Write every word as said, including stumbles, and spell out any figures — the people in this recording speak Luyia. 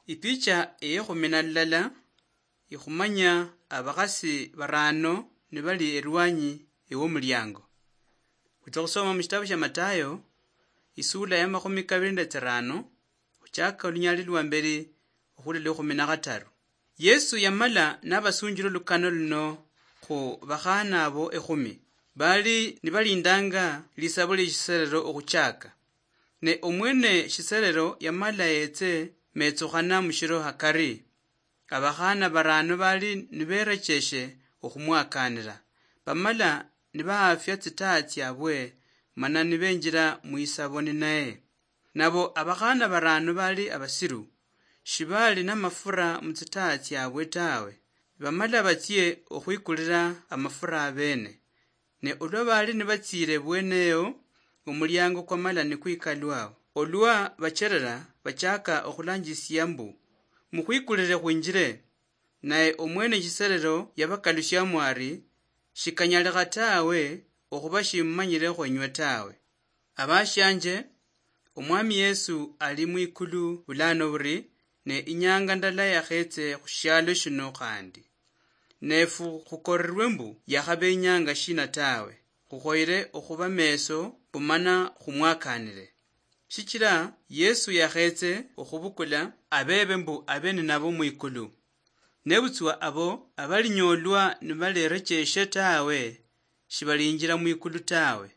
Ipicha eyekhumi na lulala ikhumanya abakhasi barano nibali erwanyi ewomuliango. Khutsa khusoma mushitabu shia Matayo, isula ya makhumi kabili nende tsirano, khuchaka olunyali lwa mbeli okhula lwa ekhumi na khataru. Yesu yamala nabasunjila olukano luno khu bakhana abo ekhumi, bali nibalindanga lisabo lie shiserero okhuchaka. Ne omwene shiserero yamala yetse metsukhana mushiro hakari. Abakhana barano bali niberecheshe okhumwakanira, bamala nibaafia tsitaa tsiabwe, mana nibenjira mwisabo ninaye. Nabo abakhana barano bali abasiru, shibali namafura mutsitaa tsiabwe tawe, bamala batsie okhwikulira amafura abene. Ne olwa bali nibatsiire bweneyo, omuliango kwamala nikwikalwa. Olwa bacherera, bachaka okhulanjisia mbu, "Mukhwikulire khwinjire." Naye omwene shiserero yabakalusiamo ari, "Shikanyalikha tawe, okhuba shimumanyire khwenywe tawe." Abashianje, Omwami Yesu ali mwikulu bulano buri, ne inyanga ndala yakhetse khushialo shino khandi. Nefu khukorerwe mbu yakhabenyanga shina tawe, khukhoyere okhuba meso mbu mana khumwakanire. Shichira Yesu yakhetse okhubukula abebe mbu abe ninabo mwikulu. Nebutswa abo abalinyolwa nibalerecheshe tawe, shibalinjira mwikulu tawe.